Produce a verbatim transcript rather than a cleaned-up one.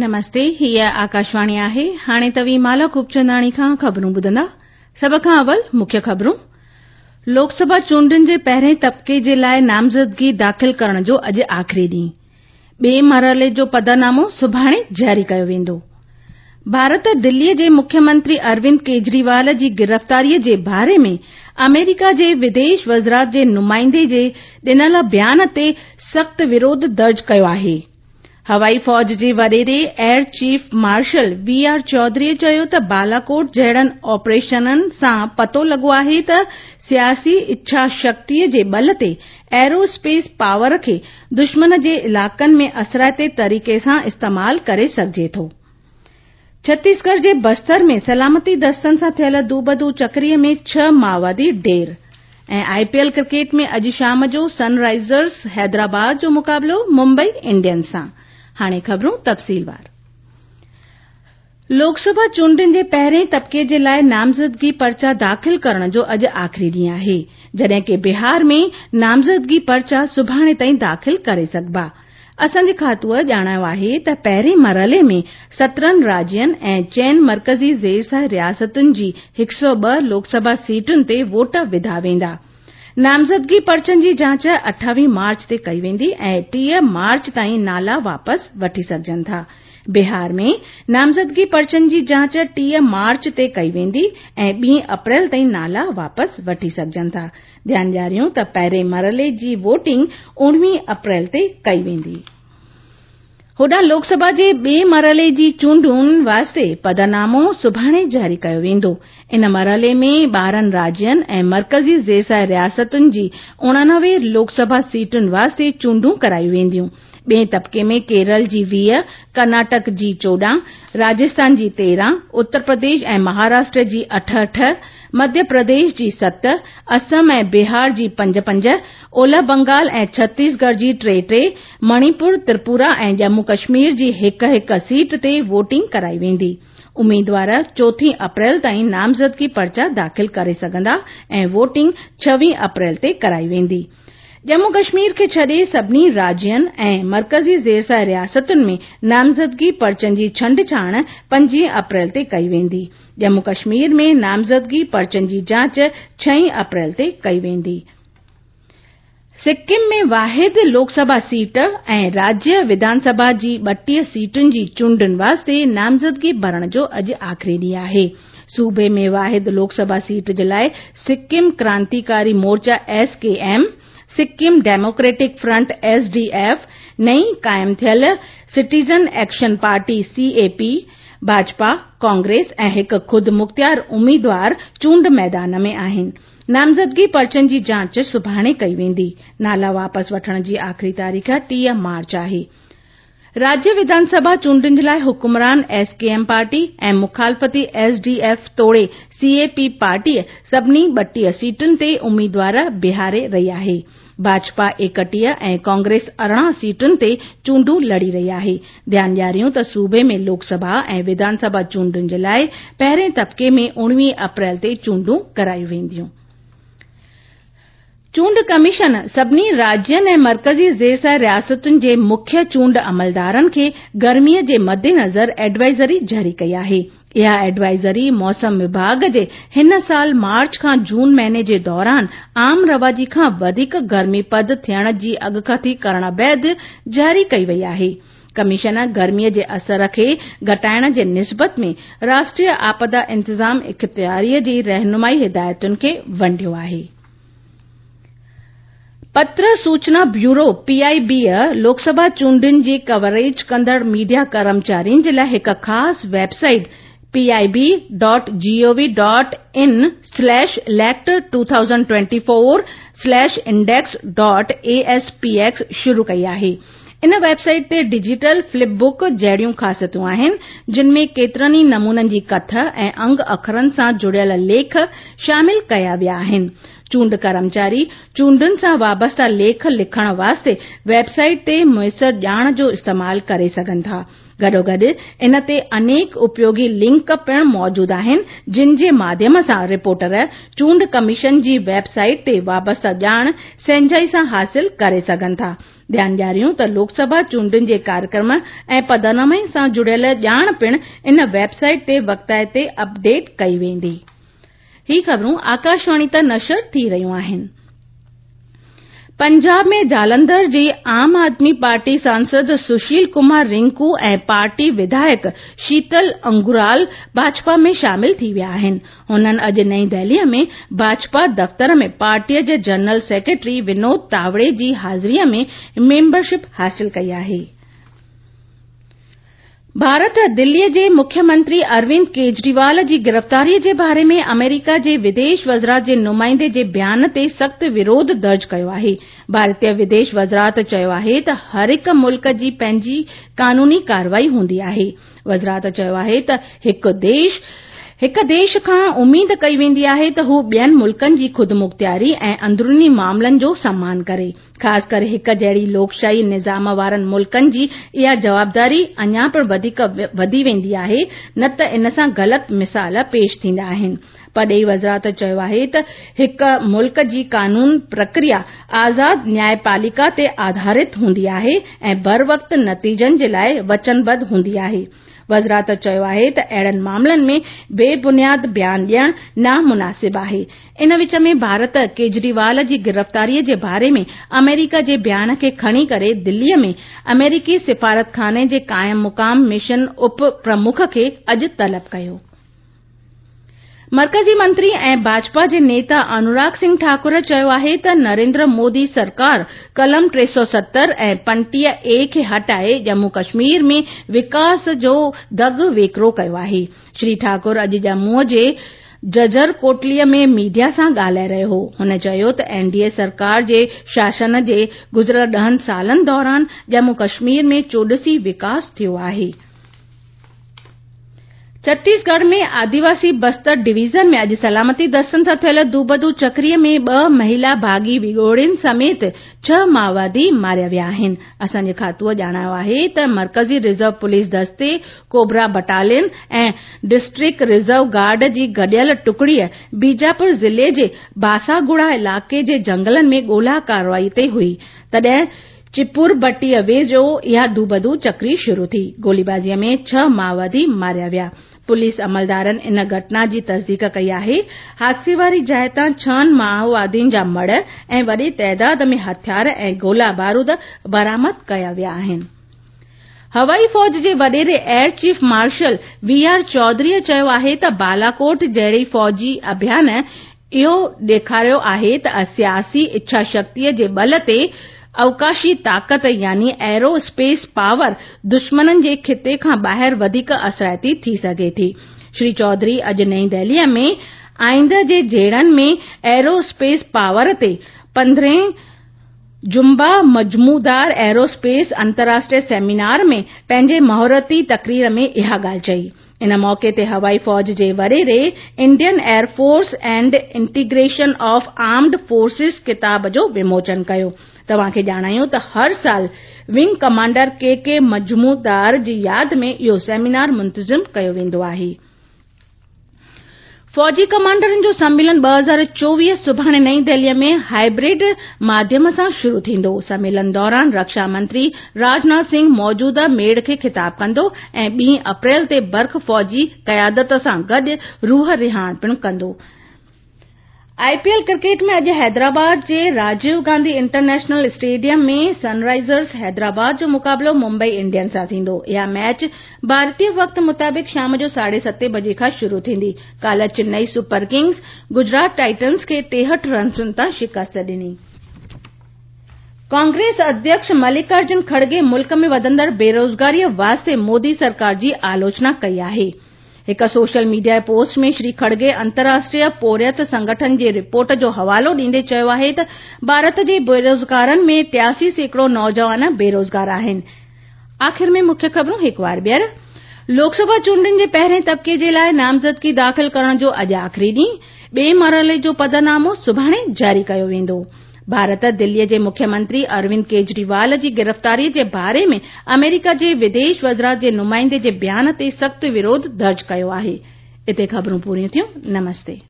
نمستي، هيء آڪاشواڻي آهي. هاڻي توهين مالا خوبچنداڻي کان خبرون ٻڌندا. سڀ کان اول مکيه خبرون. لوڪ سڀا چونڊن جي پهرين طبقي جي لاء نامزدگي داخل ڪرڻ جو اڄ آخري ڏينهن. ٻئي مرحلي جو پڌرنامو سڀاڻي جاري ڪيو ويندو. ڀارت دلي جي مکيه منتري اروند ڪيجريوال جي گرفتاري جي باري ۾ آمريڪا جي وديش وزارت جي نمائندي جي ڏنل بيان تي سخت وروڌ درج ڪيو آهي. هوائي فوج جي وڏيري air chief marshal V R Chaudhari چيو ته بالاڪوٽ جهڙن آپريشنن سان پتو لڳو آهي ته سياسي اڇا شڪتي جي ٻل تي ايرو اسپيس پاور کي دشمن جي علائقن ۾ اثرائتي طريقي سان استعمال ڪري سگهجي ٿو. ڇتيسڳڙهه جي بستر ۾ سلامتي دستن سان ٿيل دوبدو چڪري ۾ ڇهه مائووادي ڍير. ۽ آء پي ايل ڪرڪيٽ ۾ اڄ شام جو سن رائيزرز حيدرآباد جو مقابلو ممبئي انڊينز سان. هاڻي خبرون تفصيلوار. لوڪ سڀا چونڊن جي پهرين طبقي جي لاء نامزدگي پرچا داخل ڪرڻ جو اڄ آخري ڏينهن آهي، جڏهن ڪه بهار ۾ نامزدگي پرچا سڀاڻي تائين داخل ڪري سگهبا. اسان جي کاتوء ڄاڻايو آهي ته پهرين مرحلي ۾ سترهن راجين ۽ چئن مرڪزي زيرسايه رياستن جي هڪ سؤ ٻه لوڪ سڀا سيٽن تي ووٽ وڌا ويندا. نامزدگي پرچن جي جاچ اٺاويهه مارچ تي ڪئي ويندي ۽ ٽيهه مارچ تائين نالا واپس وٺي سگهجن ٿا. بهار ۾ نامزدگي پرچن جي جاچ ٽيهه مارچ تي ڪئي ويندي ۽ ٻي اپريل تائين نالا واپس وٺي سگهجن ٿا. ڌيان ڏياريون ته پهرين مرحلي جي ووٽنگ اڻويهه اپريل تي ڪئي ويندي. هوڏانهن لوڪ سڀا جي ٻئي مرحلي جي چونڊن واسطي پڌرنامو سڀاڻي جاري ڪيو ويندو. ان مرحلي ۾ ٻارهن راجين ۽ مرڪزي زيرسايه رياستن جي اڻانوي لوڪ سڀا سيٽن واسطي چونڊون ڪرايون وينديون. ٻئي طبقي ۾ ڪيرل جي ويهه، ڪرناٽڪ جي چوڏهن، راجسٿان جي تيرهن، اتر پرديش ۽ مهاراشٽر جي اٺ اٺ، مڌيه پرديش جي ست، اسم ۽ بهار جي پنج پنج، اولهه بنگال ۽ ڇتيسڳڙهه جي ٽي ٽي، مڻيپور، تريپورا ۽ ڄمون ڪشمير جي هڪ هڪ سيٽ تي ووٽنگ ڪرائي ويندي. اميدوار چوٿين اپريل تائين نامزدگي پرچا داخل ڪري سگهندا ۽ ووٽنگ ڇويهه اپريل تي ڪرائي ويندي. ڄمون ڪشمير کي ڇڏي سڀني راجين ۽ مرڪزي زيرسايه رياستن ۾ نامزدگي پرچن جي ڇنڊڇاڻ پنجويهه اپريل تي ڪئي ويندي. ڄمون ڪشمير ۾ نامزدگي پرچن جي جاچ ڇهين اپريل تي ڪئي ويندي. سڪم ۾ واحد لوڪ سڀا سيٽ ۽ راجيه وڌان سڀا جي ٻٽيهه سيٽن جي چونڊن واسطي نامزدگي ڀرڻ جو اڄ آخري ڏينهن آهي. صوبي ۾ واحد لوڪ سڀا سيٽ جي لاء Sikkim Krantikari Morcha S K M, Sikkim Democratic Front S D F, نئين قائم ٿيل Citizen Action Party C A P, Bhajpa, Congress ۽ هڪ خودمختيار اميدوار چونڊ ميدان ۾ آهن. نامزدگي پرچن جي جاچ سڀاڻي ڪئي ويندي. نالا واپس وٺڻ جي آخري تاريخ ٽيهه مارچ آهي. راجيه وڌان سڀا چونڊن جي لاء حڪمران ايس ڪي ايم پارٽي ۽ مخالفتي ايس ڊي ايف توڙي سي اي پي پارٽي سڀني ٻٽيهه سيٽن تي اميدوار بيهاري رهي آهي. ڀاجپا ايڪٽيهه ۽ ڪانگريس ارڙهن سيٽن تي چونڊون لڙي رهي آهي. ڌيان ڏياريون ته صوبي ۾ لوڪ سڀا ۽ وڌان سڀا چونڊن جي لاء پهرين طبقي ۾ اڻويهه اپريل تي چونڊون ڪرايون وينديون. چونڊ ڪميشن سڀني راجين ۽ مرڪزي زيرسايه رياستن جي مکيه چونڊ عملدارن کي گرمي جي مدنظر ايڊوائزري جاري ڪئي آهي. اها ايڊوائزري موسم وڀاڳ جي هن سال مارچ کان جون مهيني جي دوران عام رواجي کان وڌيڪ گرمي پد ٿيڻ جي اڳڪٿي ڪرڻ بعد جاري ڪئي وئي آهي. ڪميشن گرمي جي اثر کي گهٽائڻ جي نسبت ۾ راشٽريه آپدا انتظام اختياري جي رهنمائي هدايتن کي ونڊيو آهي. پتر سوچنا بيورو پي آء بي لوڪ سڀا چونڊن جي ڪوريج ڪندڙ ميڊيا ڪرمچارين جي لاء هڪ خاص website P I B dot G O V dot in slash elect two thousand twenty four slash index dot A S P X شروع ڪئي آهي. ان ويب سائيٽ تي ڊجيٽل فلپ بڪ جهڙيون خاصيتون آهن، جن ۾ ڪيترن ئي نمونن جي ڪٿ ۽ انگ اکرن سان جڙيل ليک شامل ڪيا ويا آهن. چونڊ ڪرمچاري چونڊن سان وابسته ليک لکڻ واسطي ويب سائيٽ تي ميسر ڄاڻ جو استعمال ڪري سگهن ٿا. گڏوگڏ ان تي انيڪ اپيوگي لنڪ پڻ موجود آهن، جن جي ماڌيم سان رپورٽر چونڊ ڪميشن جي ويب سائيٽ تي وابسته ڄاڻ سهنجائي سان حاصل ڪري سگهن ٿا. ڌيان ڏياريون ته لوڪسڀا چونڊن جي ڪاريڪرم ۽ پدنامي سان جڙيل ڄاڻ پڻ ان ويب سائيٽ تي وقتائتي اپڊيٽ ڪئي ويندي. هي خبرون آڪاشواڻي تان نشر ٿي رهيون آهن. پنجاب ۾ جالنڌر جي عام آدمي پارٽي سانسد سشيل ڪمار رنڪو ۽ پارٽي وڌايڪ شيتل انگرال ڀاجپا ۾ شامل ٿي ويا آهن. هنن اڄ نئين دهلي ۾ ڀاجپا دفتر ۾ پارٽيء جي جنرل سيڪريٽري ونود تاوڙي جي حاضريء ۾ ميمبرشپ حاصل ڪئي آهي. ڀارت دلي جي مکيه منتري اروند ڪيجريوال جي گرفتاري جي باري ۾ آمريڪا جي وديش وزارت جي نمائندي جي بيان تي سخت وروڌ درج ڪيو آهي. ڀارتيه وديش وزارت چيو آهي ته هر هڪ ملڪ جي پنهنجي قانوني ڪارروائي هوندي آهي. وزارت چيو آهي ته هڪ ديش هڪ ديش کان اميد ڪئي ويندي آهي ته هو ٻين ملڪن جي خودمختياري ۽ اندروني معاملن جو سمان ڪري. خاص ڪري هڪ جهڙي لوڪشاهي نظام وارن ملڪن جي اها جوابداري اڃا پڻ وڌيڪ وڌي ويندي آهي، نه ته ان سان غلط مثال پيش ٿيندا آهن. پرڏيهي وزارت چيو آهي ته هڪ ملڪ جي قانون پرڪريا آزاد نيايپاليڪا تي آڌارت هوندي آهي ۽ بروقت نتيجن جي لاء وچنبڌ هوندي آهي. وزارت چيو آهي ته اهڙن معاملن ۾ بي بنياد بيان ڏيڻ نامناسب آهي. ان وچ ۾ ڀارت ڪيجريوال جي گرفتاري جي باري ۾ آمريڪا جي بيان کي کڻي ڪري دلي ۾ آمريڪي سفارتخاني جي قائم مقام مشن اپ پرمک کي اڄ طلب ڪيو. مرڪزي منتري ۽ ڀاجپا جي نيتا انوراگ سنگهه ٺاڪر چيو آهي ته نريندر مودي سرڪار قلم ٽي سؤ ستر ۽ پنجٽيهه اي کي هٽائي ڄمون ڪشمير ۾ وڪاس جو دڳ ويڪرو ڪيو آهي. شري ٺاڪر اڄ ڄمون جي ججر ڪوٽلي ۾ ميڊيا سان ڳالهائي رهيو هو. هن چيو ته اين ڊي اي سرڪار جي شاسن جي گذريل ڏهن سالن دوران ڄمون ڪشمير ۾ چوڏسي وڪاس ٿيو آهي. ڇتيسڳڙهه ۾ آديواسي بستر ڊويزن ۾ اڄ سلامتي دستن سان ٿيل دوبدو چڪري ۾ ٻه مهلا باغي وڳوڙين سميت ڇهه مائووادي ماريا ويا آهن. اسان جي کاتوءَ ڄاڻايو آهي ته مرڪزي رزرو پوليس دستي، cobra battalion ۽ district reserve guard جي گڏيل ٽڪڙي بيجاپور ضلعي جي باساگڙا علائقي جي جنگلن ۾ ڳولا ڪارروائي تي هئي، تڏهن چپربٽي ويجهو اها دوبدو چڪري شروع ٿي. گوليبازي ۾ ڇهه مائووادي ماريا ويا. پوليس عملدارن ان گهٽنا جي تصديق ڪئي آهي. حادثي واري جاءِ تان ڇهن مائووادين جا مڙهه ۽ وڏي تعداد ۾ هٿيار ۽ گولا بارود برآمد ڪيا ويا آهن. هوائي فوج جي وڏيري air chief marshal V R Chaudhari چيو آهي ته بالاڪوٽ جهڙي فوجي اڀيان اهو ڏيکاريو آهي ته سياسي اڇا شڪتيءَ جي ٻل تي اوڪاشي طاقت يعني ايرو اسپيس پاور دشمنن جي خطي کان ٻاهر وڌيڪ اثرائتي ٿي سگهي ٿي. شري چوڌري اڄ نئين دهلي ۾ آئنده جي جهيڙن ۾ ايرو اسپيس پاور تي پندرهين جمبا مجمودار ايرو اسپيس انترراشٽريه سيمينار ۾ پنهنجي مهورتي تقرير ۾ اها ڳالهه چئي. ان موقعي تي هوائي فوج جي وڏيري Indian air force and integration of armed forces ڪتاب جو وموچن ڪيو. توهان کي ڄاڻايون ته هر سال wing commander K K Majumdar جي ياد ۾ اهو سيمينار منتظم ڪيو ويندو آهي. فوجي ڪمانڊرن جو سميلن ٻه هزار چوويهه سڀاڻي نئين دهلي ۾ هائبرڊ ماڌيم سان شروع ٿيندو. سميلن دوران رڪشا منتري راجناٿ سنگهه موجوده ميڙ کي خطاب ڪندو ۽ ٻي اپريل تي برک فوجي قيادت سان گڏ روح رهاڻ پڻ ڪندو. آئي پي ايل ڪرڪيٽ ۾ اڄ حيدرآباد جي راجيو گانڌي انٽرنيشنل اسٽيڊيم ۾ سن رائزرز حيدرآباد جو مقابلو ممبئي انڊينز سان ٿيندو. اها ميچ ڀارتيه وقت مطابق شام جو ساڍي ستين بجي کان شروع ٿيندي. ڪالهه Chennai super Kings Gujarat Titans کي ٽيهٺ رنسن تان شڪست ڏني. ڪانگريس اڌيڪش ملڪارجن کڙگي ملڪ ۾ وڌندڙ بيروزگاري واسطي مودي سرڪار جي آلوچنا ڪئي آهي. هڪ سوشل ميڊيا پوسٽ ۾ شري کڙگي انترراشٽريه پورهيت سنگٺن جي رپورٽ جو حوالو ڏيندي چيو آهي ته ڀارت جي بيروزگارن ۾ ٽياسي سيڪڙو نوجوان بيروزگار آهن. آخر ۾ مکيه خبرون هڪ وار ٻيهر. لوڪسڀا چونڊن جي پهرين طبقي جي لاءِ نامزدگي داخل ڪرڻ جو اڄ آخري ڏينهن، ٻئي مرحلي جو پڌرنامو سڀاڻي جاري ڪيو ويندو. ڀارت دلي جي مکيه منتري اروند ڪيجريوال جي گرفتاري جي باري ۾ آمريڪا جي وديش وزارت جي نمائندي جي بيان تي سخت وروڌ درج ڪيو آهي. اتي خبرون پوريون ٿيون. نمستي.